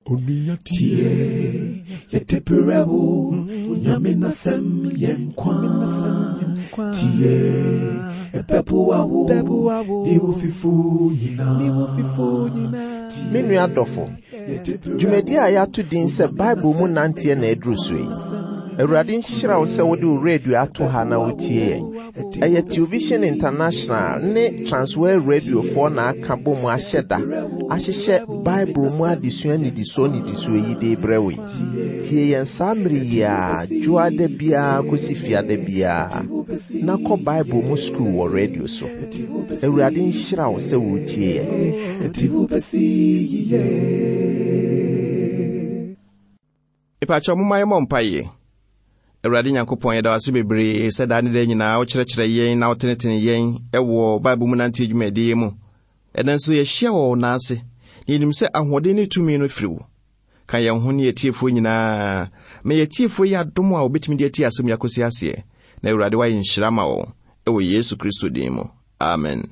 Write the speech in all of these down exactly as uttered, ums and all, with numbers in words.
Tie, yɛde brɛ wo, Nyame n'asɛm yɛ nkwa. Tie, ɛbɛboa wo, ne wo fifo nyinaa. Me nua dɔfo, dwumadi a yɛato din sɛ Bible mu nanteɛ na aduru so yi. Awurade nhyira wo sɛ wode wo radio ato ha na wotie yɛn. Ɛyɛ Television International ne Transworld Radiofoɔ na aka bɔ mu ahyɛ da ahyehyɛ Bible mu adesua nnidisoɔ nnidisoɔ yi de brɛ wo yi. Tie yɛn saa mmere yi a dwoada biara kɔsi fiada biara na kɔ Bible mu sukuu wɔ radio so. Awurade nhyira wo sɛ wotie yɛn. Ɛde wo bɛsi yiye. Mepakyɛw, momma yɛmmɔ mpaeɛ. Awurade Nyankopɔn, yɛda wo ase bebree sɛ daa ne daa nyinaa wokyerɛkyerɛ yɛn na wotenetene yɛn ɛwɔ Bible mu nante dwumadie mu. Ɛnɛ nso yɛahyia wɔ wo nan ase, na yɛnim sɛ ahoɔden ne tumi no firi wo. Ka yɛn ho ne yɛtiefoɔ nyinaa. Ma yɛtiefoɔ yi adom a wobɛtumi de atie asɛm yi akɔsi aseɛ. Na Awurade wayɛ nhyira ma wɔn ɛwɔ Yesu Kristo din mu. Amen.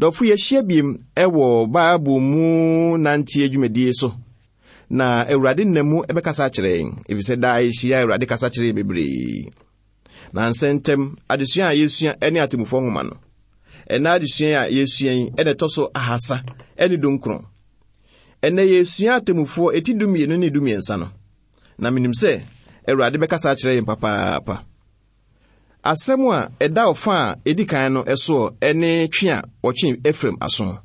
Dɔfo, yɛahyia biem ɛwɔ Bible mu nanteɛ dwumadie so. Na Awurade nam mu ɛbɛkasa akyerɛ yɛn, efisɛ daa yɛhyia Awurade kasa kyerɛ yɛn bebree. Na nsɛntɛm, adesua a yɛsua ne atemmufoɔ nwoma no. Ɛnna adesua a yɛsua yi ɛna ɛtɔ so ahasa ɛne dunkron. Ɛnnɛ yɛsua atemmufoɔ eti dumienu ne dumiɛnsa no. Na menim sɛ Awurade bɛkasa akyerɛ yɛn papaapa. Asɛm a ɛda ɔfa a edi kan no ɛsoɔ ɛne twe a wɔtwe Efraim aso.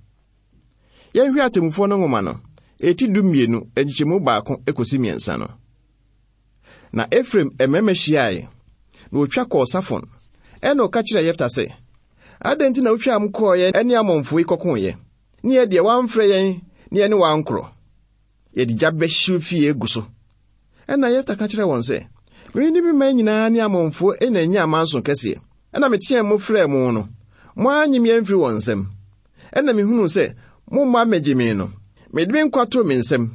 Yɛnhwɛ atemmufoɔ no nwoma no, eti dumienu, nkyekyɛmu baako ekosi mmiɛnsa no. Na Efraim mmarima hyiae, na wotwa kɔɔ Safon. Ɛna ɔka kyerɛɛ Yefta sɛ, adɛn nti na wotwaa mo kɔɔeɛ ne Amonfoɔ yi kɔkoeɛ? Ne yɛ deɛ woamfrɛ yɛn ne yɛne wo ankorɔ. Yɛde gya bɛhyew fie agu so. Ɛna Yefta ka kyerɛɛ wɔn sɛ, me ne me man nyinaa ne Amonfoɔ na anya amanso kɛseɛ. Ɛna meteɛɛ mo frɛɛ mo no, mo annye me amfiri wɔn nsam. Ɛna mehunuu sɛ momma mmɛgye me no, mede me nkwa too me nsam.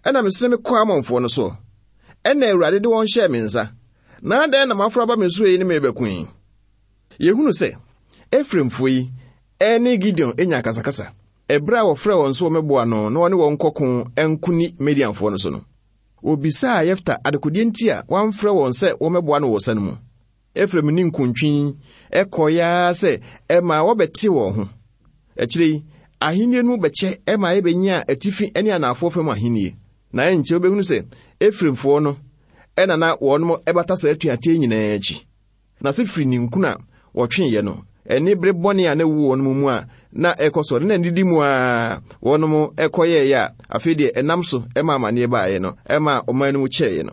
Ɛna mesene me kɔɔ Amonfoɔ no soɔ. Ɛna Awurade de wɔn hyɛɛ me nsa. Na adɛn na moaforo aba me so yi ne me rebɛko yi? Yɛhunu sɛ Efraimfoɔ yi ɛne Gideon anya akasakasa. Ɛberɛ a wɔfrɛɛ wɔn so wɔmmɛboa no na wɔne wɔn nkɔko nko ni Midianfoɔ no so no, wɔbisaa Yefta adekodeɛ nti a wɔamfrɛ wɔn sɛ wɔmmɛboa no wɔ sa no mu. Efraim ne nkuntwi ɛkɔeɛ ara sɛ ɛma wɔbɛte wɔn ho. Akyire yi, ahennie no mu bɛkyɛ ɛma yɛbɛnya atifi ne anaafoɔ fam ahennie. Na ɛnkyɛ wobɛhunu sɛ Efraimfoɔ no ɛna na wɔnom ɛbata saa atuateɛ nyinaa akyi. Na sɛ firi ninkunu a wɔtweeɛ no, ɛne bere bɔne a na ɛwɔ wɔn mu a na ɛkɔ so, na nidi mu a wɔnom ɛkɔyɛeɛ a afei deɛ ɛnam so ɛma amanneɛ baeɛ no, ɛma ɔman no mu kyɛeɛ no.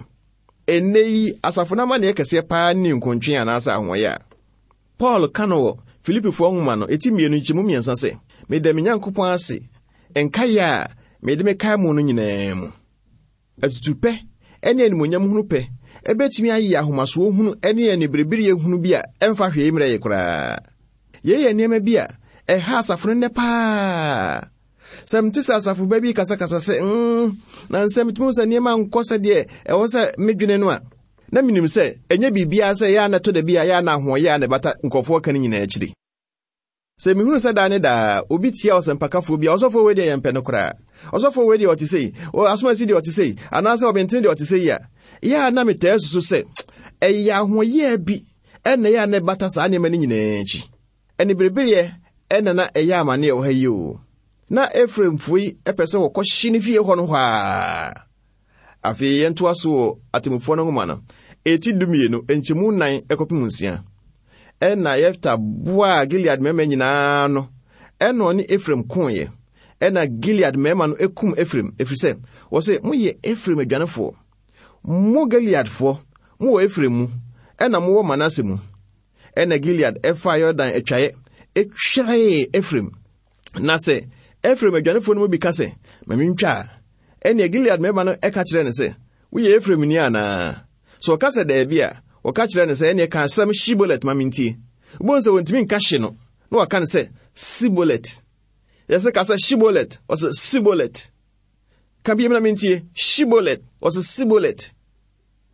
Ɛnnɛ yi, asafo no amanneɛ kɛseɛ paa ne nkontwe anaasɛ ahoɔyɛ a Paul ka no wɔ Filipifoɔ nwoma no, eti mmienu nkyɛmu mmiɛnsa sɛ, meda me Nyankopɔn ase nkaeɛ a mede mekae mo no nyinaa mu. Atutupɛ ɛne animuonyam hunu pɛ ɛbɛtumi ayɛ ahomasoɔ hunu ɛne aniberebereɛ hunu bi a ɛmfa hwee mmerɛ yɛ koraa. Yei yɛ nneɛma bi a ɛha asafo no nnɛ paa. Sɛ mete sɛ asafo ba bi kasakasa sɛ, mm, na nsɛm metumi hu sɛ nneɛma nkɔ sɛdeɛ ɛwɔ sɛ medwene no a, na menim sɛ ɛnyɛ biribiara sɛ ɛyɛ a na ɛtɔ da bi a ɛyɛ a na ahoɔyɛ a na ɛbata nkurɔfoɔ ka no nyinaa akyiri. Sɛ mehunu sɛ daa ne daa obi tia ɔsɛmpakafoɔ bi a, ɔsɔfoɔ wei deɛ yɛmpɛ no koraa. Ɔsɔfoɔ wei deɛ ɔte sei, asomasi deɛ ɔte sei, anaasɛ ɔbɛntene deɛ ɔte sei a, ɛyɛ a na metaa susu sɛ ɛyɛ ahoɔyɛ bi ɛna ɛyɛ a na ɛbata saa nneɛma no nyinaa akyi. Ɛne berebereɛ ɛna na ɛyɛ amanneɛ wɔ ha yi o. Na Efraimfoɔ yi ɛpɛ sɛ wɔkɔhye ne fie hɔ no hɔ a. Afei yɛntoa so wɔ atemmufoɔ no nwoma no, eti dumienu, nkyɛmu nnan ɛkɔpem nsia. Ɛna Yefta boaa Gilead mmarima nyinaa no, ɛna ɔne Efraim koeɛ. Ɛna Gilead mmarima no ekum Efraim, ɛfiri sɛ wɔse, moyɛ Efraim adwanefoɔ. Mo Gileadfoɔ, mowɔ Efraim mu, ɛna mowɔ Manase mu. Ɛna Gilead ɛfaa Yordan atwaeɛ, etweree Efraim. Na sɛ Efraim adwanefoɔ no mu bi ka sɛ, ma mentwa a, ɛnneɛ Gilead mmarima no ɛka kyerɛ no sɛ, woyɛ Efraim ni anaa? Sɛ ɔka sɛ daabi a, wɔka kyerɛ no sɛ, ɛnneɛ ka asɛm Shibolet ma mentie. Wobɛhu sɛ wɔntumi nka hye no, na wɔka no sɛ Sibolet. Yɛsɛ ka sɛ Shibolet, ɔsɛ Sibolet. Ka bi na mentie, Shibolet, ɔsɛ Sibolet.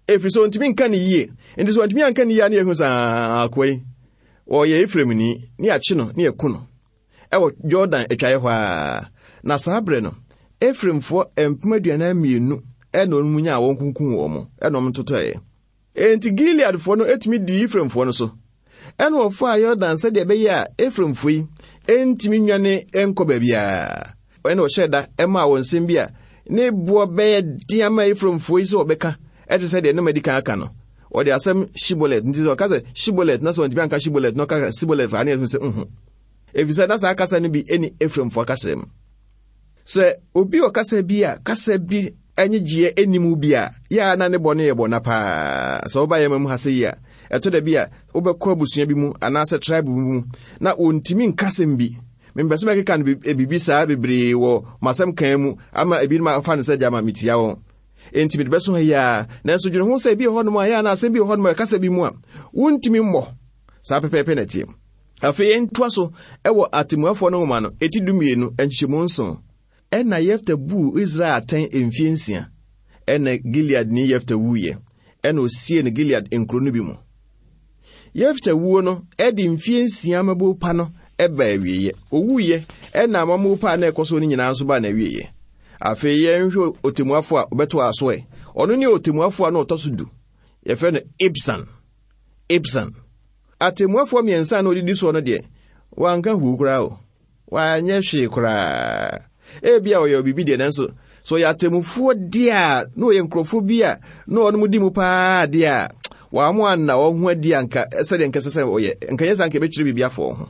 Ɛfiri sɛ ɔntumi nka ne yie. Nti sɛ ɔntumi anka ne yie a, ne yɛhu sɛ, akoa yi, ɔyɛ Efraim ni, ne yɛakye no, ne yɛku no. Ɛwɔ Jordan atwaeɛ hɔ a. Na saa berɛ no, Efraimfoɔ mpem aduanan mmienu ɛna wɔn mu nyaa wɔn kunkum wɔn mo ɛna wɔn totɔeɛ. Enti Gileadfoɔ no etumi dii Efraimfoɔ no so. Ɛna wɔfaa Yordan sɛdeɛ ɛbɛyɛ a Efraimfoɔ yi entumi nwane nkɔ baabiara. Ɛna wɔhyɛɛ da ɛmaa wɔn nsɛm bi a ne boɔ bɛyɛ den ama Efraimfoɔ yi sɛ wɔbɛka, ɛte sɛ deɛ ne adi kan aka no. Wɔde asɛm Shibolet, nti sɛ ɔka sɛ Shibolet na sɛ ɔntumi anka Shibolet na ɔka Sibolet a, ne yɛ sɛ nhu. Efisɛ na saa kasa no bi ɛni Efraimfoɔ kasa mu. Sɛ obi wɔ kasa bi a kasa bi anyegyeɛ anim bi a, yɛ a na ne bɔ no yɛ bɔ na paa. Sɛ woba yɛma mu ha sɛ yi a, ɛtɔ da bi a wobɛkɔ abusua bi mu anaasɛ tribe bi mu na wɔntumi nkasɛm bi. Mempɛ sɛ mɛkeka no biribi saa bebree wɔ m'asɛm kan mu ama ebinom afa no sɛ gyama metia wɔn. Enti mede bɛso ha yi a, nanso dwene ho sɛ ebi wɔ hɔnom a yɛ anaa asɛm bi wɔ hɔnom a ɛkasa bi mu a wontumi mmɔ. Saa pɛpɛɛpɛ na ɛteɛ. Afei yɛntoa so ɛwɔ atemmuafoɔ no nwoma no, eti dumienu, nkyekyɛmu nson. Ɛna Yefta buu Israel atɛn mfie nsia. Ɛna Gileadni Yefta wuiɛ. Ɛna osie no Gilead nkuro no bi mu. Yefta wuo no ɛde mfie nsia amammuo pa no ɛba awieeɛ. Owuiɛ ɛna amammuo pa a na ɛkɔ so no nyinaa nso baa n'awieeɛ. Afei yɛnhwɛ otemmuafoɔ a ɔbɛto aso ɛ. Ɔno ne otemmuafoɔ a na ɔtɔ so du. Yɛfrɛ no Ibsan. Ibsan. Atemmuafoɔ mmiɛnsa a na odidi soɔ no deɛ, wanka huu koraa o. Wanyɛ hwee koraa. Ebia ɔyɛ biribi deɛ, nanso sɛ ɔyɛ atemmufoɔ deɛ a, na ɔyɛ nkurɔfoɔ bi a na ɔnom di mu paa deɛ a, wɔn anna wɔn ho adi anka sɛdeɛ nkɛsɛ sɛ ɔyɛ. Nka nyɛ saa nka ɛbɛkyerɛ biribi afa wɔn ho.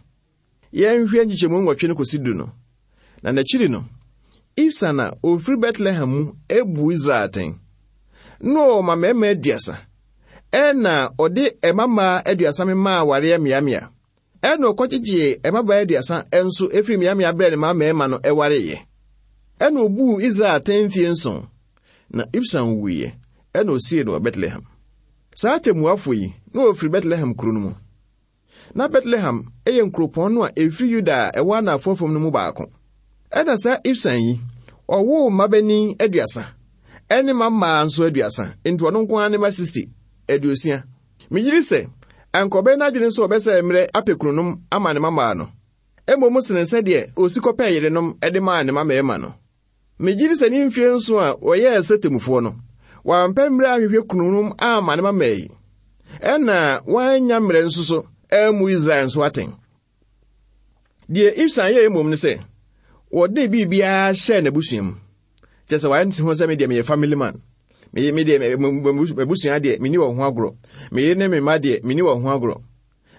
Yɛnhwɛ nkyekyɛmu nwɔtwe no kɔsi du no. Na n'akyiri no, Ibsan a ofiri Bethlehem mu ebu Israel atɛn. Na ɔma mmarima aduasa. Ɛna ɔde mmammaa aduasa memaa awareɛ mmeammea. Ɛna ɔkɔgyegyee mmabaa aduasa nso efiri mmeammea brɛɛ ne mma mmarima no ɛwareeɛ. Ɛna obuu Israel atɛn mfie nson. Na Ibsan wuiɛ. Ɛna osie no wɔ Bethlehem. Saa atemmuafoɔ yi, na wɔfiri Bethlehem kuro no mu. Na Bethlehem ɛyɛ nkuropɔn no a ɛfiri Yuda a ɛwɔ anafoɔ fam no mu baako. Ɛna saa Ibsan yi, ɔwoo mmabanin aduasa, ɛne mmammaa nso aduasa, nti ɔno nko ara ne mma sixty, aduosia. Megyiri sɛ, anka ɔbɛyɛ n'adwene nso ɔbɛsɛ mmerɛ apɛ kununom ama ne mmammaa no. Mmom sene sɛdeɛ osi kɔpɛɛ yerenom de maa ne mma no. Megyiri sɛ ne mfie nso a wɔyɛɛ sɛ temmufoɔ no, wampɛ mmerɛ ahwehwɛ kununom ama ne mmammaa yi. Ɛna wanya mmerɛ nso so ammu Israel nso atɛn. Deɛ Ibsan yɛɛ mmom ne sɛ, wɔde biribiara hyɛɛ n'abusua mu. Kyerɛ sɛ wayɛ ne ho sɛ me deɛ meyɛ family man. Me me deɛ m'abusua deɛ menni wɔn ho agorɔ. Me yere ne me mma deɛ menni wɔn ho agorɔ.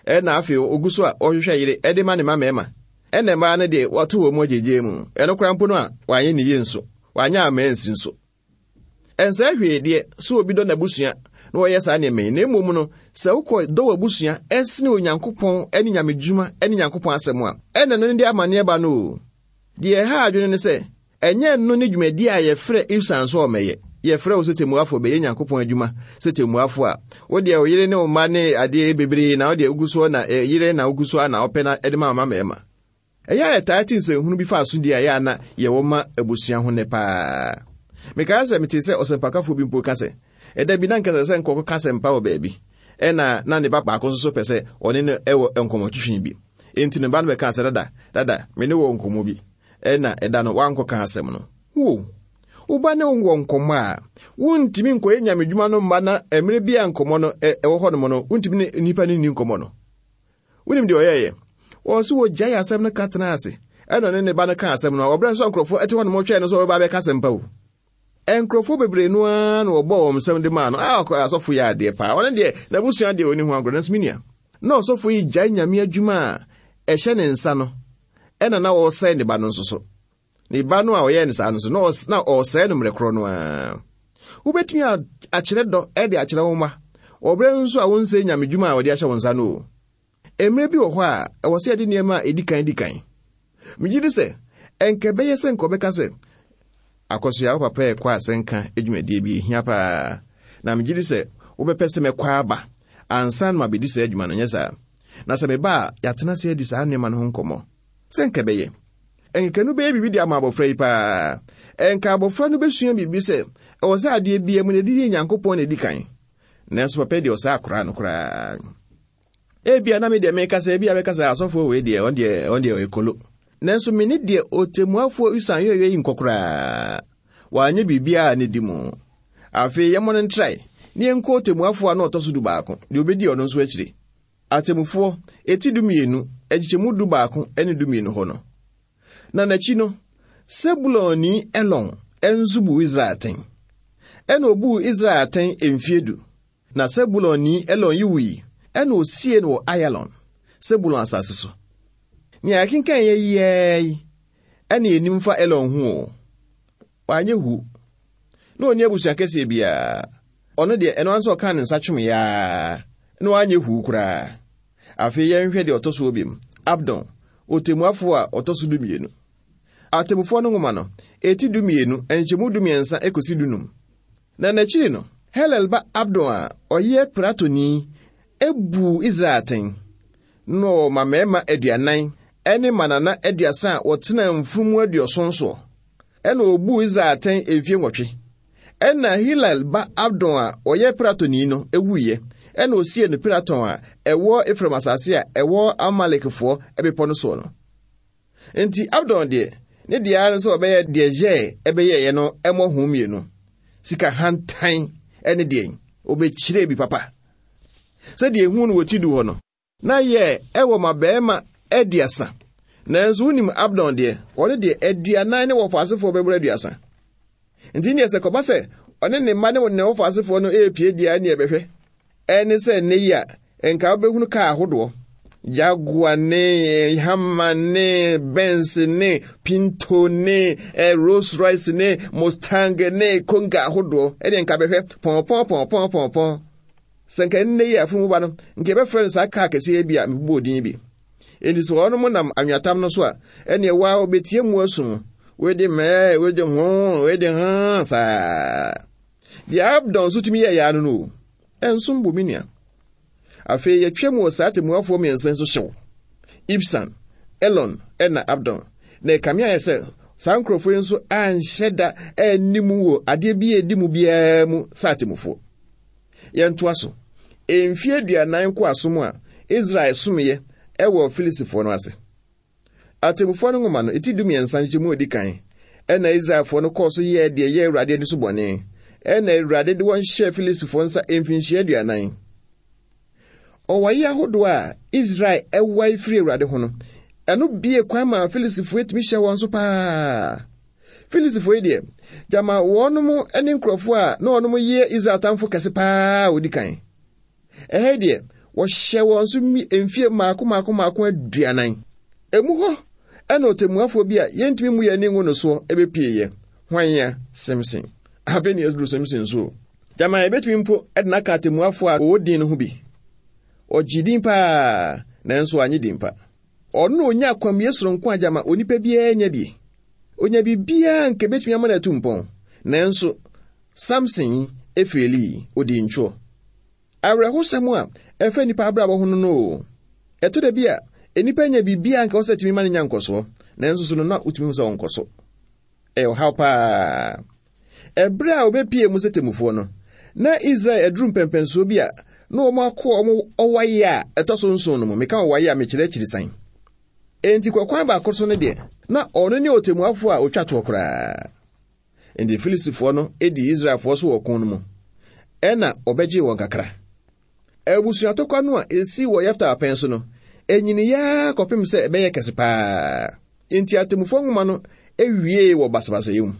Ɛna afei ogu so a ɔhwehwɛ yere ɛde ma ne mma mmarima. Ɛna mmaa no deɛ wɔato wɔn mu agyegye mu. Ɛno koraa mpo no a wanyɛ ne yie nso. Wanyɛ ama ansi nso. Ɛnsɛ hwee deɛ sɛ obi dɔ n'abusua na wɔyɛ saa nneɛma yi. Na mmom no, sɛ wokɔ dɔ w'abusua ɛsene Onyankopɔn ɛne nyamedwuma ɛne Nyankopɔn asɛm a, ɛna no ne de amanneɛ ba no o. Deɛ ɛha adwene ne sɛ, ɛnyɛ no ne dwumadi a yɛfrɛ Ibsan so ɔmɛyɛ. Yɛfrɛ wo sɛ temmuafoɔ bɛyɛ Nyankopɔn adwuma sɛ temmuafoɔ a, wo deɛ wo yere ne wo mma ne adeɛ bebree na wo deɛ wogu soɔ na yere na wogu soɔ na wopɛ na ɛde ma wo mma mmarima. Ɛyɛ a yɛtaa te nsɛnhunu bi fa asodie a ɛyɛ a na yɛwɔ ma abusua ho nnɛ paa. Mekae sɛ metee sɛ ɔsɛmpakafoɔ bi mpo ka sɛ, ɛda bi na nkasa sɛ nkɔkɔ ka asɛmpa wɔ baabi, ɛna na ne ba baako nso so pɛ sɛ ɔne no ɛwɔ nkɔmmɔtwetwe bi. Enti ne ba no bɛkaa sɛ, dada, dada, me ne wɔ nkɔmmɔ bi. Ɛna ɛda no wankɔka asɛm no. Wo, wo ba ne wo wɔ nkɔmmɔ a, wontumi nkɔyɛ nyamedwuma no mma na mmerɛ bi a nkɔmmɔ no ɛwɔ hɔnom no, wontumi ne nnipa no nni nkɔmmɔ no. Wonim deɛ ɔyɛeɛ? Wɔn nso wɔgyae asɛm no ka tena ase. Ɛna ɔne ne ba no ka asɛm no a, wɔbrɛ nso nkurɔfoɔ ɛte hɔnom twɛn no sɛ wɔbɛba abɛka asɛm pa o. Nkurɔfoɔ bebree no ara na wɔbɔɔ wɔn nsɛm de maa no. A ɔkɔ asɔfo yɛ adeɛ paa. Ɔno deɛ n'abusua deɛ ɔni ho agorɔ. Nanso me nua, na ɔsɔfo yi gyae nyame adwuma a ɛhyɛ ne nsa no, ɛna na ɔresɛe ne ba no nso so. Ne ba no a ɔyɛɛ no saa no so, na ɔs-, na ɔresɛe no mmerɛ korɔ no ara. Wobɛtumi akyerɛ dɔ ɛde akyerɛ wo mma. Ɔbrɛ nso a wonsɛe nyame dwuma a wɔde ahyɛ wo nsa no o. Mmerɛ bi wɔ hɔ a, ɛwɔ sɛ yɛde nneɛma a ɛdi kan di kan. Megye di sɛ, ɛnka ɛbɛyɛ sɛ nka ɔbɛka sɛ, Akɔsoa, wo papa ɛkɔ asɛnka adwumadie bi ehia paa. Na megye di sɛ wobɛpɛ sɛ mɛkɔ aba ansa na mabɛdi saa adwuma no, nyɛ saa. Na sɛ meba a, yɛatena ase adi saa nneɛma no ho nkɔmmɔ. Sɛ nka ɛbɛyɛ. Ɛnka no bɛyɛ biribi de ama abɔfra yi paa. Ɛnka abɔfra no bɛsua biribi sɛ, ɛwɔ sɛ adeɛ biara mu na ɛde yɛ Nyankopɔn na ɛdi kan. Nanso papa yi deɛ ɔsaa koraa no koraa. Ebia na me deɛ meka sɛ, ebia bɛka sɛ asɔfoɔ wei deɛ, ɔno deɛ, ɔno deɛ ɔyɛ kolo. Nanso me ne deɛ ɔtemmuafoɔ Usan yɛyɛ yi nkɔ koraa. Wanyɛ biribiara ne di mu. Afei yɛmmɔ no ntrae, ne yɛnkɔ ɔtemmuafoɔ a na ɔtɔ so du baako, deɛ obɛdi ɔno nso akyire. Atemmufoɔ, eti du mmienu, nkyekyɛmu du baako ne du mmienu hɔ no. Na n'akyi no, Sebulonni Elon nso buu Israel atɛn. Ɛna obuu Israel atɛn mfie du. Na Sebulonni Elon yi wui, ɛna osie no wɔ Ayalon, Sebulon asase so. Nea yɛkenkan yɛ yiaa yi, ɛna yɛnim fa Elon ho o. Wanyɛ hu. Na ɔnni abusua kɛseɛ biara. Ɔno deɛ, ɛno ara nso ɔkaa ne nsa twom yaa, na wanyɛ hu koraa. Afei yɛnhwɛ deɛ ɔtɔ so bio, Abdon, ɔtemmuafoɔ a ɔtɔ so dumienu. Atemmufoɔ no nwoma no, eti dumienu, nkyɛmu dumiɛnsa ekosi dunum. Na n'akyiri no, Helel ba Abdon a ɔyɛ Piratoni ebuu Israel atɛn. Na ɔma mmarima aduanan ne mmanana aduasa a wɔtena mfunumu aduɔson soɔ. Ɛna obuu Israel atɛn mfie nwɔtwe. Ɛna Hilal ba Abdon a ɔyɛ Piratoni no ewuiɛ. Ɛna osie no Piraton a ɛwɔ Efraim asase a ɛwɔ Amalekfoɔ bepɔ no soɔ no. Nti Abdon deɛ, ne deɛ ara ne sɛ ɔbɛyɛ deɛ Yɛɛ ɛbɛyɛeɛ no ɛmmɔ ho mmienu. Sika hantan ɛne deɛ obɛkyerɛ bi papa. Sɛdeɛ ehu no wɔ ti du hɔ no, na yɛ ɛwɔ ma bɛrima aduasa. Nanso wonim Abdon deɛ, ɔne deɛ aduanan ne wɔfaasefoɔ bɛboro aduasa. Nti neɛ sɛ kɔba sɛ ɔne ne mma ne ne wɔfaasefoɔ no ɛrepie deɛ ne ɛbɛhwɛ. Ɛne sɛ nnɛ yi a, nka wobɛhunu kaa ahodoɔ. Jaguar ne Hammer ne Benz ne Pinto ne eh, Rolls Royce ne Mustang ne Konga ahodoɔ. Ɛne nka bɛhwɛ pɔn pɔn pɔn pɔn pɔn. Sɛ nka nnɛ yi a afunumu ba no, nka yɛbɛfrɛ no saa kaa kɛseɛ bi a mebobɔɔ din bi. Enti sɛ wɔnom nam anweatam no so a, ɛneɛ waa wɔbɛtie mu asu. Wede mɛɛ, wede ho, wede ho saa. Deɛ Abdon nso tumi yɛɛ yaa no no o. Ɛnsom bo me nua. Afei yɛtwa mu wɔ saa atemmuafoɔ mmiɛnsa nso hyew. Ibsan, Elon, ɛna Abdon. Na ɛkame ayɛ sɛ saa nkurɔfoɔ yi nso anhyɛ da anni mu wɔ adeɛ bi a ɛdi mu biara mu sɛ atemmufoɔ. Yɛntoa so. Mfie aduanan nkoasom a Israel somyɛ ɛwɔ Filistifoɔ no ase. Atemmufoɔ no nwoma no, eti dumiɛnsa nkyɛmu a edi kan, ɛna Israelfoɔ no kɔɔ so yɛɛ deɛ ɛyɛ Awurade ani so bɔne. Ɛna Awurade de wɔn hyɛɛ Filistifoɔ nsa mfinhyia aduanan. Ɔwae ahodoɔ a Israel ɛwae firi Awurade ho no, ɛno bie kwan maa Filistifoɔ etumi hyɛ wɔn so paa. Filistifoɔ yi deɛ, gyama wɔnom ne nkurɔfoɔ a na wɔnom yɛ Israel atamfo kɛse paa a wɔdi kan. Ɛha yi deɛ, wɔhyɛ wɔn so mfie mmaako mmaako mmaako aduanan. Emu hɔ ɛna ɔtemmuafoɔ bi a yɛntumi mu yɛn ani ngu no soɔ ɛbɛpieeɛ. Hwan ya? Simson. Afei ne yɛduru Simson so. Gyama yɛbɛtumi mpo ɛde n'aka atemmuafoɔ a wɔwɔ din no ho bi. Ɔgye din paa, nanso anyɛ din pa. Ɔno na onya akwamie soronko a gyama onipa biara nya bi. Onya biribiara nka ebɛtumi ama no atu mpɔn. Nanso Samson yi efeeli, odi ntwoɔ. Awerɛhosɛm a ɛfa nnipa abrabɔ ho no no o. Ɛtɔ da bi a, nnipa nya biribiara nka wɔsɛ tumi ma no nya nkɔsoɔ, nanso so no na wotumi hu sɛ ɔnkɔ so. Ɛyɛ ɔhaw paa. Ɛberɛ a wɔbɛpie mu sɛ temmufoɔ no, na Israel aduru mpɛmpɛnsoɔ bi a na wɔn akɔ wɔn ɔwae a ɛtɔ so nson no mu. Meka ɔwae a mekyerɛ akyiri san. Enti kɔkwan baako so no deɛ, na ɔno ne ɔtemmuafoɔ a otwa toɔ koraa. Enti Filistifoɔ no dii Israelfoɔ so wɔ ɔko no mu. Ɛna ɔbɛgyee wɔn kakra. Abusuatɔkwa no a esi wɔ Yefta apɛn so no, enyiniyaa kɔpem sɛ ɛbɛyɛ kɛse paa. Enti atemmufoɔ nwoma no ewiee wɔ basabasayɛ mu.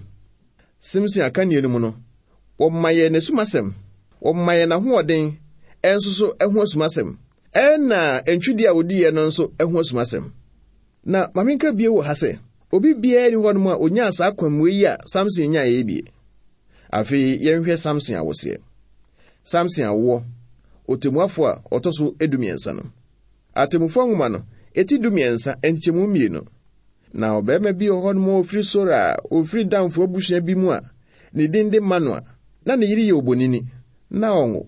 Simson akannie no mu no, wɔma yɛn n'asumasɛm, wɔma yɛn n'ahoɔden, ɛnso so ɛho asumasɛm, ɛna ntwidie a odiiɛ no nso ɛho asumasɛm. Na ma menka bio wɔ ha sɛ, obi biara ni hɔnom a onyaa saa kwammue yi a Samson nyaeɛ yi bie. Afei yɛnhwɛ Samson awoseɛ. Samson awoɔ, ɔtemmuafoɔ a ɔtɔ so edumiɛnsa no. Atemmufoɔ nwoma no, eti dumiɛnsa, nkyɛmu mmienu. Na ɔbarima bi wɔ hɔnom a ofiri Sora a ofiri Danfoɔ abusua bi mu a ne din de Manoa, na ne yere yɛ obonini, na ɔnwo.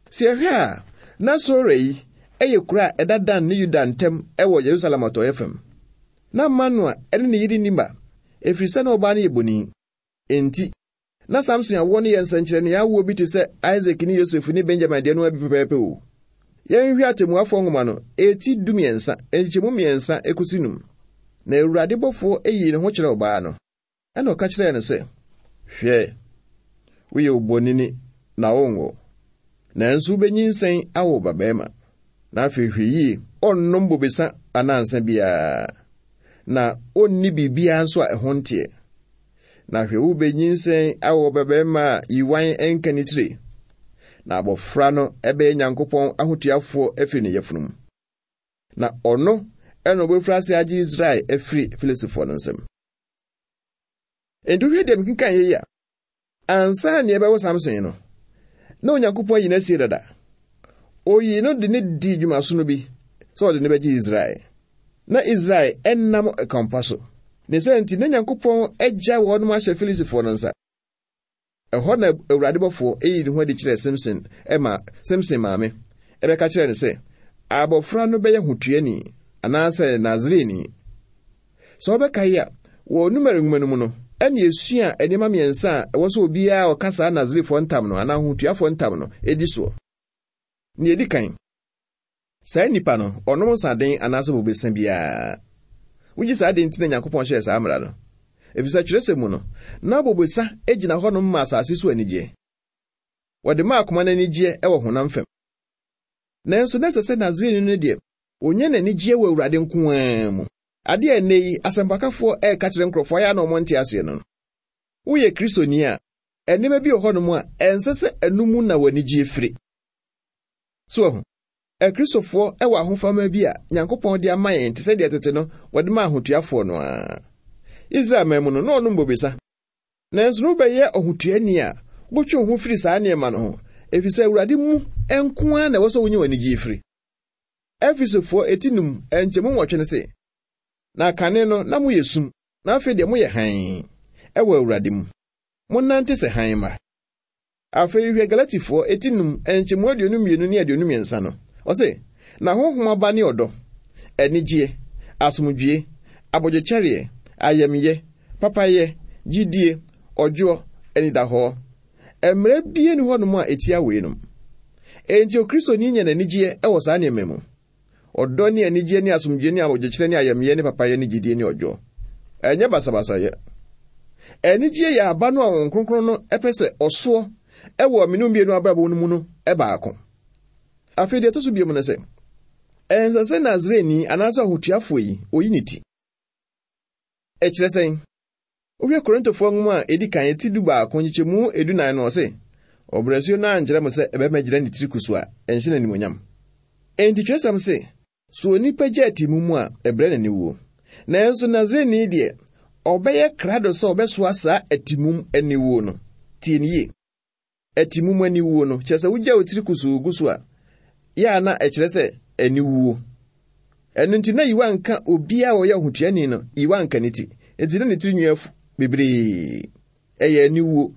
Sɛ yɛhwɛ a, na Sora yi ɛyɛ kuro a ɛda Dan ne Yuda ntam ɛwɔ Yerusalem atɔeɛ fam. Na Manoa ɛne ne yere nni mma, ɛfiri sɛ na ɔbaa no yɛ bonin. Enti, na Samson awoɔ no yɛ nsɛnkyerɛnne awoɔ bi te sɛ Isaac ne Yosef ne Benjamin deɛ no bi pɛpɛɛpɛ o. Yɛnhwɛ atemmuafoɔ nwoma no, eti dumiɛnsa, nkyɛmu mmiɛnsa ekosi num. Na Awurade bɔfoɔ yii ne ho kyerɛɛ ɔbaa no, ɛna ɔka kyerɛɛ no sɛ, Hwɛ, woyɛ obonini na wonwo, nanso wobɛnyinsɛn awo babarima. Na afei hwɛ yie, ɔnnom bobesa anaa nsa biara, na ɔnni biribiara nso a ɛho nteɛ. Na hwɛ, wobɛnyinsɛn awo babarima a yiwan nka ne tire, na abɔfra no ɛbɛyɛ Nyankopɔn ahotuafoɔ afiri ne yafunu mu. Na ɔno ɛna ɔbɛfiri ase agye Israel afiri Filistifoɔ no nsam. Enti wohwɛ deɛ mekenkan yɛ yi a, ansa na yɛbɛwo Samson no, na Onyankopɔn ayi no asie dada. Oyi no de ne dii dwumasono bi sɛ ɔde ne bɛgye Israel. Na Israel ɛnam ɛkwampa so. Ne sɛ nti na Nyankopɔn agya wɔnom ahyɛ Filistifoɔ no nsa. Ɛhɔ na Awurade bɔfoɔ eyi ne ho adi kyerɛɛ Samson ɛma Samson maame ɛbɛka kyerɛɛ no sɛ abɔfra no bɛyɛ hotuani anaasɛ Nasareni. Sɛ ɔbɛka yi a, wɔ Numeri nwoma no mu no, ɛne esua nneɛma mmiɛnsa a ɛwɔ sɛ obiara a ɔka saa Nasarifoɔ ntam no anaa hotuafoɔ ntam no edi soɔ. Nea edi kan, saa nipa no, ɔnom nsaden anaasɛ bobesa biara. Wogye saa de nti na Nyankopɔn hyɛɛ saa mmara no. Efisɛ kyerɛsɛm mu no, na bobesa gyina hɔnom ma asase so anigyeɛ. Wɔde ma akoma no anigyeɛ wɔ honam fam. Nanso na ɛsɛ sɛ Nasareni no deɛ, onya n'anigyeɛ wɔ Awurade nko ara mu. Ade a ɛnnɛ yi, asɛmpakafoɔ ɛreka kyerɛ nkurɔfoɔ ayɛ a na wɔn nte aseɛ no. Woyɛ Kristoni a, nneɛma bi wɔ hɔnom a ɛnsɛ sɛ ɛno mu na w'anigyeɛ firi. So ahu, Akristofoɔ wɔ ahofama bi a Nyankopɔn de ama yɛn te sɛ deɛ tete no wɔde ma ahotuafoɔ no ara. Israel man mu no, na ɔnom bobesa. Nanso no wobɛyɛ ɔhotuani a wotwe wo ho firi saa nneɛma no ho, efisɛ Awurade mu nko ara na ɛwɔ sɛ wonya w'anigyeɛ firi. Efesofoɔ eti num nkyɛmu nwɔtwe no se, na kane no na moyɛ sum, na afei deɛ moyɛ hann ɛwɔ Awurade mu. Monnante sɛ hann mma. Afei hwɛ Galatifoɔ eti num nkyɛmu aduonu mmienu ne aduonu mmiɛnsa no. Ɔse, na honhom aba ne ɔdɔ, anigyeɛ, asomdwie, abodwokyɛreɛ, ayamyɛ, papayɛ, gyidie, ɔdwoɔ, anidahɔ. Mmerɛ bie ni hɔnom a etia weinom. Enti Okristoni nya n'anigyeɛ ɛwɔ saa nneɛma mu. Ɔdɔ ne anigyeɛ ne asomdwie ne abodwokyerɛ ne ayamyɛ ne papayɛ ne gyidie ne ɔdwoɔ. Ɛnyɛ basabasayɛ. Anigyeɛ yɛ aba no a Honhom Kronkron no ɛpɛ sɛ ɔsoɔ ɛwɔ mene mmienu abrabɔ no mu no ɛbaako. Afei deɛ ɛtɔ so bio no sɛ, ɛnsɛ sɛ Nasareni anaasɛ ɔhotuafoɔ yi oyi ne ti. Ɛkyerɛ sɛn? Wohwɛ Korintofoɔ nwoma a edi kan eti du baako nkyekyɛmu edunan no ɔse, ɔbrɛsuo no ankyerɛ mo sɛ ɛbɛma gyina ne tiri kusu a ɛnhyɛ n'animonyam. Enti twerɛsɛm se, so onipa gye atimu mu a ɛbrɛ n'aniwuo. Nanso Nasareni deɛ, ɔbɛyɛ krado sɛ ɔbɛsoa saa atimum aniwuo no. Tie ne yie. Atimum aniwuo no, kyerɛ sɛ wogya wo tiri kusuu gu so a, yɛ a na ɛkyerɛ sɛ aniwuo. Ɛno nti na yiwa nka obiara a ɔyɛ ɔhotuani no, yiwa nka ne ti. Enti na ne tiri nwi afu bebree. Ɛyɛ aniwuo.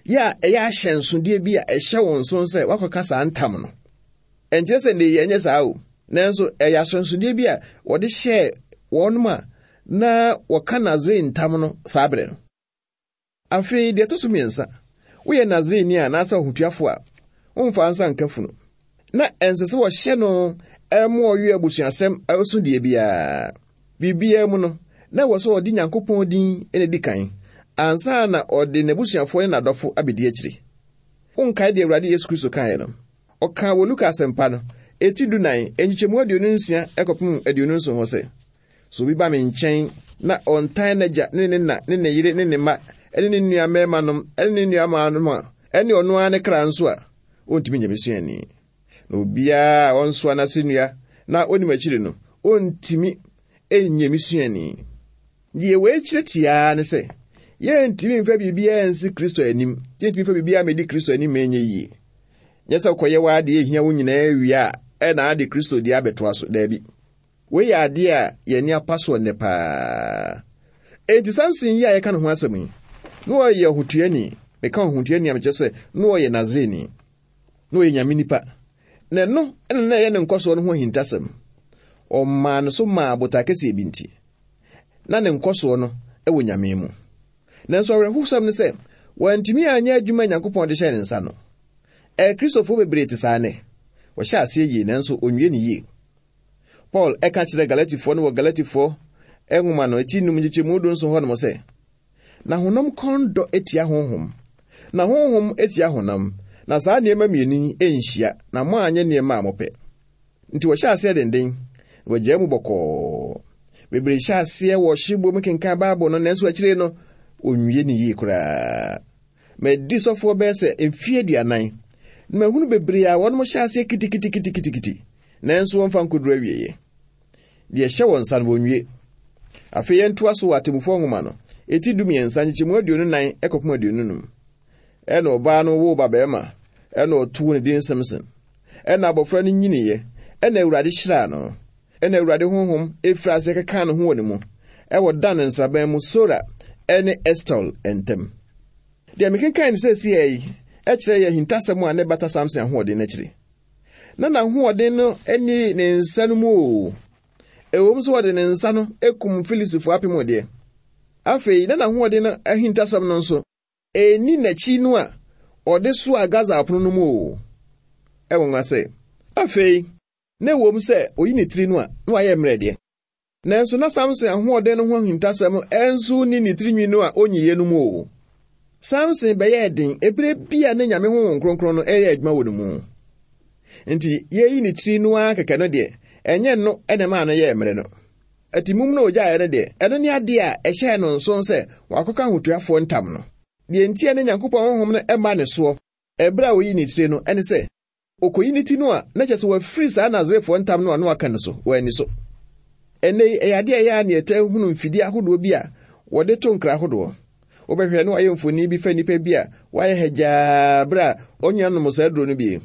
Yɛ a ɛyɛ ahyɛnsodeɛ bi a ɛhyɛ wɔn so sɛ wakɔka saa ntam no. Ɛnkyerɛ sɛ ne yɛ nyɛ saa o. Nanso ɛyɛ ahyɛnsodeɛ bi a wɔde hyɛɛ wɔnom a na wɔka Nasareni ntam no saa berɛ no. Afei deɛ ɛtɔ so mmiɛnsa, woyɛ Nasareni a anaasɛ ɔhotuafoɔ a, womfa nsa nka funu. Na ɛnsɛ sɛ wɔhyɛ no ɛmo ɔyɛ abusuasɛm ɛso deɛ biara. Biribiara mu no, na ɛwɔ sɛ ɔde Nyankopɔn din na edi kan, ansa na ɔde n'abusuafoɔ ne n'adɔfo abɛdi akyire. Wonkae deɛ Awurade Yesu Kristo kaeɛ no. Ɔkaa wɔ Luka asɛmpa no, eti dunan, nkyekyɛmu aduonu nsia ɛkɔpem aduonu nson hɔ sɛ, sɛ obi ba me nkyɛn na ɔntan n'agya ne ne na ne ne yere ne ne mma ne ne nua mmarimanom ne ne nua mmaanom a, ɛne ɔno ara ne kra nso a, ɔntumi nyɛ me suani. Na obiara a ɔnsoa n'asennua na onim akyiri no, ɔntumi nyɛ me suani. Deɛ wei kyerɛ tiaa ne sɛ, yɛntumi mfa biribiara nsi Kristo anim, yɛntumi mfa biribiara mmɛdi Kristo anim ma ɛnyɛ yie. Nyɛ sɛ wokɔyɛ w'adeɛ ehia wo nyinaa wie a, ɛna ade Kristo deɛ abɛtoa so, daabi. Wei yɛ adeɛ a yɛn apa soɔ nnɛ paa. Enti Samson yi a yɛka ne ho asɛm yi, na ɔyɛ ɔhotuani. Meka ɔhotuani a mekyerɛ sɛ na ɔyɛ Nasareni. Na ɔyɛ Nyame nipa. Na ɛno ɛna na ɛyɛ ne nkɔsoɔ no ho ahintasɛm. Ɔmaa no so maa botae kɛseɛ bi nti. Na ne nkɔsoɔ no ɛwɔ Nyame mu. Nanso awerɛhosɛm ne sɛ, wantumi anyɛ adwuma a Nyankopɔn de hyɛɛ ne nsa no. Akristofoɔ bebree te saa nnɛ. Wɔhyɛ aseɛ yie nanso onwie ne yie. Paul ɛka kyerɛ Galatifoɔ no wɔ Galatifoɔ Nwoma no eti num nkyekyɛmu du nson hɔnom sɛ, na honam kɔn dɔ etia honhom, na honhom etia honam, na saa nneɛma mmienu yi nhyia, na mo anyɛ nneɛma a mopɛ. Nti wɔhyɛ aseɛ denden, na wɔgyaa mu bɔkɔɔ. Bebree hyɛ aseɛ wɔ hyebɔ mu kenkan Bible no, nanso akyire no, wɔnwie ne yie koraa. Madi sɔfoɔ bɛyɛ sɛ mfeɛ aduanan, na mahunu bebree a wɔnom hyɛ aseɛ kitikitikitikiti, nanso wɔmfa nkoduru awieeɛ. Deɛ ɛhyɛ wɔn nsa no wɔnwie. Afei yɛntoa so wɔ Atemmufoɔ Nwoma no, eti dumiɛnsa nkyekyɛmu aduonu nan kɔpem aduonu num. Ɛna ɔbaa no woo babarima, ɛna ɔtoo ne din Samson. Ɛna abɔfra no nyiniiɛ, ɛna Awurade hyiraa no. Ɛna Awurade honhom efiri ase keka ne ho wɔ ne mu, ɛwɔ Dan nsraban mu Sora ɛne Estol ntam. Deɛ mekenkan no seesei yi, ɛkyerɛ yɛ ahintasɛm a ne bata Samson ahoɔden n'akyiri. Na n'ahoɔden no ani ne nsa no mu o. Ɛwom sɛ wɔde ne nsa no ekum Filistifoɔ apem deɛ. Afei, na n'ahoɔden no ahintasɛm no nso, ɛnni n'akyi no a ɔde soa Gaza apono no mu o. Ɛwɔ nwa sɛ, afei, na ɛwom sɛ oyi ne tiri no a, na wayɛ mmerɛ deɛ. Nanso na Samson ahoɔden no ho ahintasɛm ɛnso ni ne tirinwi no a onyiyɛ no mu o. Samson bɛyɛɛ den ebere bi a ne Nyame Honhom Kronkron no ɛyɛ adwuma wɔ ne mu. Nti, yɛyi ne tiri no ara kɛkɛ no deɛ, ɛnyɛ no ɛna maa no yɛɛ mmerɛ no. Atimum no ogyaeɛ no deɛ, ɛno ne adeɛ a ɛhyɛɛ no nson sɛ wakɔka ahotuafoɔ ntam no. Deɛ nti a ne Nyankopɔn honhom no ɛma ne soɔ, ɛberɛ a oyi ne tiri no, ɛne sɛ, okoyi ne ti no a, na kyerɛ sɛ wafiri saa Nasarefoɔ ntam no a na waka no so, wɔ ani so. Ɛnnɛ yi, ɛyɛ adeɛ a ɛyɛ a ne yɛtaa hunu mfidie ahodoɔ bi a wɔde to nkra ahodoɔ. Wobɛhwɛ na wayɛ mfoni bi fa nnipa bi a wayɛ hagyaa berɛ a ɔnya nom saa aduro no bi.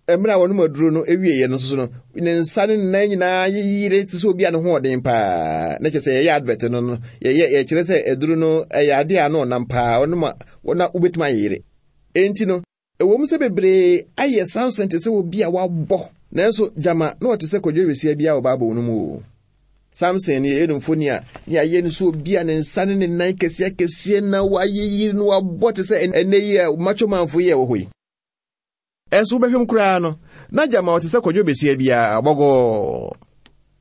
Mmerɛ a wɔnom aduro no awieeɛ no nso no, ne nsa ne ne nan nyinaa yeyere te sɛ obi a ne ho ɔden paa. Na kyerɛ sɛ yɛyɛ advert no no, yɛyɛ yɛkyerɛ sɛ aduro no ɛyɛ adeɛ a na ɔnam paa, ɔnom a na wobɛtumi ayeyere. Enti no, ɛwom sɛ bebree ayɛ Samson te sɛ obi a wabɔ, nanso gyama na ɔte sɛ kwadwo wesia bi a wɔ Bible no mu o. Samson no yɛyɛ no mfoni a ne ayɛ no sɛ obi a ne nsa ne ne nan kɛseɛ kɛseɛ na wayeyere no wabɔ te sɛ ɛnɛ yi a macho manfo yɛ wɔ hɔ yi. Ɛnso wobɛhwɛm koraa no, na gyama ɔte sɛ kwadwo besia biara bɔgɔɔ.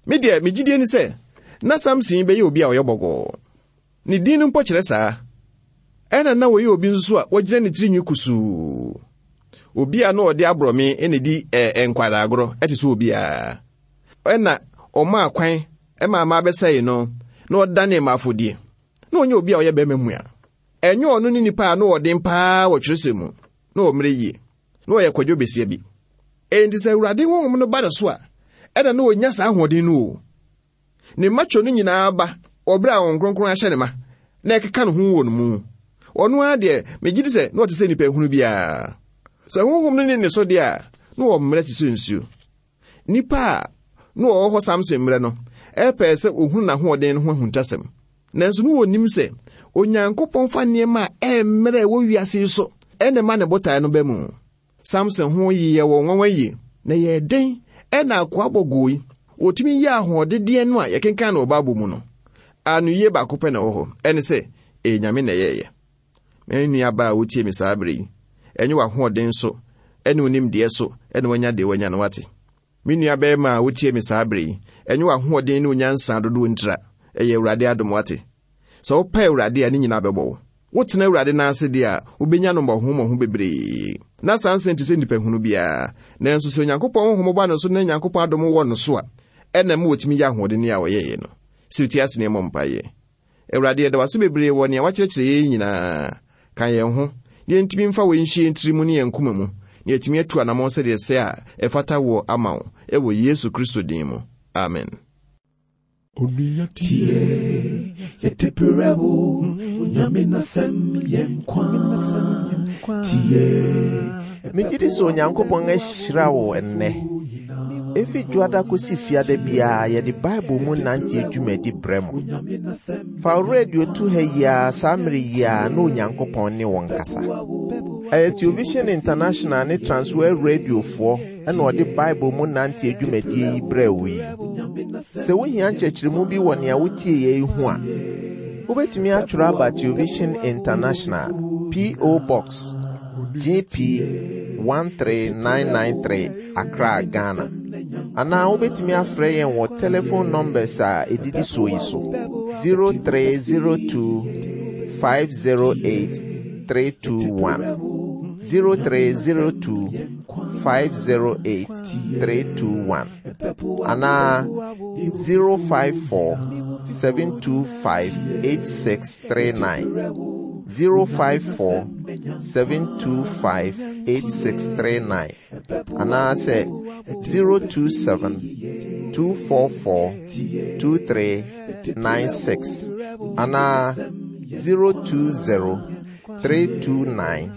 Me deɛ, me gyidie ne sɛ, na Samson bɛyɛ obi a ɔyɛ bɔgɔɔ. Ne din no mpo kyerɛ saa. Ɛna na wɔyɛ obi nso a wɔgyina ne tirinwi kusuu. Obi a na ɔde aborɔme na di ɛɛ nkwadaa ɛte sɛ obiara. Ɛna ɔmaa kwan ɛma ama abɛsɛe no, na ɔdane mmaafodie. Na ɔnyɛ obi a ɔyɛ bɛrima mua. Ɛnyɛ ɔno ne nipa a na ɔden paa wɔ twerɛsɛm mu, na ɔmmerɛ yie. Na ɔyɛ kwadwo besia bi. Enti sɛ Awurade honhom no ba ne so a, ɛna na ɔnya saa ahoɔden no o. Ne macho no nyinaa ba wɔ berɛ a Honhom Kronkron ahyɛ ne ma, na ɛkeka ne ho wɔ ne mu. Ɔno ara deɛ, megye di sɛ na ɔte sɛ nnipa ehunu biara. Sɛ honhom no ne ne so deɛ a, na ɔmmerɛ te sɛ nsuo. Nnipa a na wɔwɔ hɔ Samson mmerɛ no, ɛpɛɛ sɛ ohunu n'ahoɔden no ho ahuntasɛm. Nanso na wɔnim sɛ Onyankopɔn fa nneɛma a ɛmmerɛ wɔ wiase yi so ɛna ɛma ne botae no ba mu. Samson ho yɛ wɔ nwanwa yie, na yɛ den ɛna akoa bɔgɔɔ yi, wɔtumi yɛ ahoɔdedeɛ no a yɛkenkan no wɔ Bible mu no. Anoyie baako pɛ na ɛwɔ hɔ, ɛne sɛ, ɛyɛ Nyame na ɛyɛɛyɛ. Me nua baa a wotie me saa bere yi, ɛnyɛ w'ahoɔden so, ɛne wo nimdeɛ so, ɛne wanya deɛ wanya no wate. Me nua bɛrima a wotie me saa bere yi, ɛnyɛ w'ahoɔden ne wo nyansa dodoɔ ntira, ɛyɛ Awurade adom wate. Sɛ wopɛ Awurade a, ne nyinaa bɛbɔ wo. Wotena Awurade nan ase deɛ a, wobɛnya no mmɔho mmɔho bebree. Na Samson te sɛ nnipa hunu biara. Nanso sɛ Onyankopɔn honhom ba ne so na Onyankopɔn adom wɔ no so a, ɛna ma wɔtumi yɛ ahoɔden a ɔyɛeɛ no. Sɛ wotie ase na ɛmmɔ mpaeɛ. Awurade, yɛda wo ase bebree wɔ nea wakyerɛkyerɛ yɛn nyinaa. Ka yɛn ho, na yɛntumi mfa wei nhyɛ yɛn tiri mu ne yɛn koma mu, na yɛatumi atu anammɔn sɛdeɛ ɛsɛ a ɛfata wɔ ama wo, ɛwɔ Yesu Kristo din mu. Amen. Onua tie, yɛte perɛ wo, Nyame n'asɛm yɛ nkwa. Tie, Megye di sɛ Onyankopɔn ahyira wo ɛnnɛ. Efi dwoada kosi fiada biara yɛde Bible mu nante dwumadi brɛ mo. Fa wo radio to ha yi ara saa mmere yi ara na Onyankopɔn ne wo nkasa. Ɛyɛ Television International ne Transworld Radiofoɔ ɛna ɔde Bible mu nante dwumadie yi brɛ wo yi. Sɛ wohia nkyerɛkyerɛmu bi wɔ nea wotie yɛ yi ho a, wobɛtumi atwerɛ aba Television International, P O. Box G P one three nine nine three, Accra, Ghana. Anaa wobɛtumi afrɛ yɛn wɔ telephone numbers a ɛdidi soɔ yi so: zero three zero two five zero eight three two one zero three zero two five zero eight three two one anaa zero five four seven two five eight six three nine zero five four seven two five eight six three nine anaasɛ zero two seven two four four two three nine six anaa zero two zero three two nine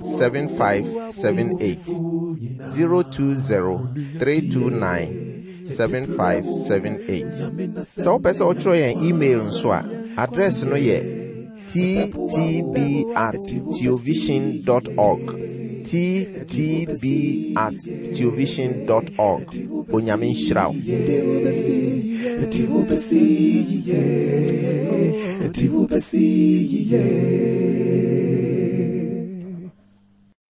seven five seven eight zero two zero three two nine seven five seven eight. Sɛ wopɛ sɛ wotwerɛ yɛn email nso a, address no yɛ ttb at theovision dot org ttb at theovision dot org. Onyame nhyira wo. Eti wobɛsi,